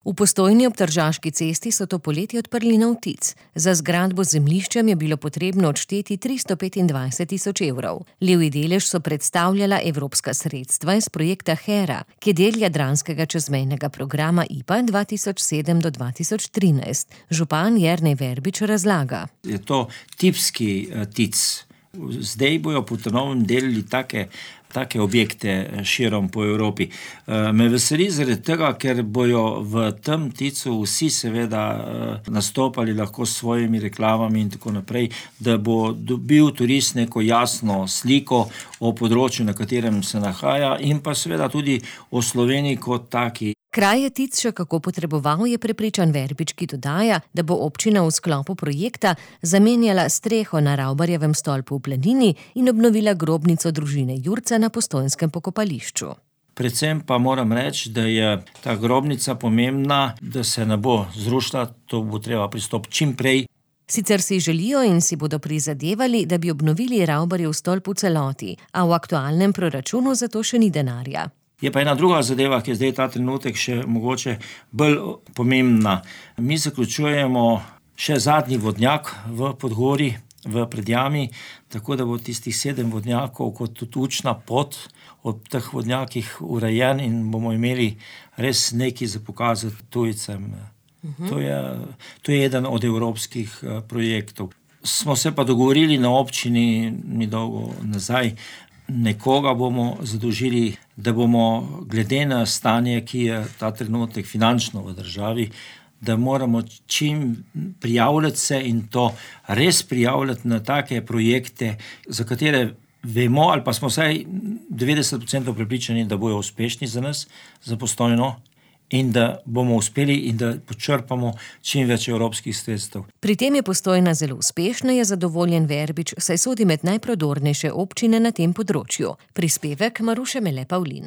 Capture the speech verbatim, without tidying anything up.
V Postojni ob Tržaški cesti so to poletje odprli nov T I C. Za zgradbo z zemljiščem je bilo potrebno odšteti tristo petindvajset tisoč evrov. Levji delež so predstavljala evropska sredstva iz projekta Hera, ki je del jadranskega čezmejnega programa I P A dva tisoč sedem do dva tisoč trinajst. Župan Jernej Verbič razlaga. Je to tipski T I C. Zdaj bojo po novem delili take, take objekte širom po Evropi. Me veseli zaradi tega, ker bojo v tem T I C-u vsi seveda nastopali lahko s svojimi reklamami in tako naprej, da bo dobil turist neko jasno sliko o področju, na katerem se nahaja, in pa seveda tudi o Sloveniji kot taki. Kraj je T I C še kako potreboval, je prepričan Verbič, ki dodaja, da bo občina v sklopu projekta zamenjala streho na Ravbarjevem stolpu v Planini in obnovila grobnico družine Jurca na postojnskem pokopališču. Predvsem pa moram reči, da je ta grobnica pomembna, da se ne bo zrušila, to bo treba pristopiti čim prej. Sicer si želijo in si bodo prizadevali, da bi obnovili Ravbarjev stolp v celoti, a v aktualnem proračunu za to še ni denarja. Je pa ena druga zadeva, ki je zdaj ta trenutek še mogoče bolj pomembna. Mi zaključujemo še zadnji vodnjak v Podgori, v Predjami, tako da bo tistih sedem vodnjakov kot tudi učna pot ob teh vodnjakih urejen in bomo imeli res nekaj za pokazati tujcem. Uh-huh. To je, to je eden od evropskih projektov. Smo se pa dogovorili na občini ni dolgo nazaj, nekoga bomo zadolžili, da bomo glede na stanje, ki je ta trenutek finančno v državi, da moramo čim prijavljati se in to res prijavljati na take projekte, za katere vemo ali pa smo vsaj devetdeset procentov prepričani, da bojo uspešni za nas, za Postojno, in da bomo uspeli in da počrpamo čim več evropskih sredstev. Pri tem je Postojna zelo uspešna, je zadovoljen Verbič, saj sodi med najprodornejše občine na tem področju. Prispevek Maruše Mele Pavlin.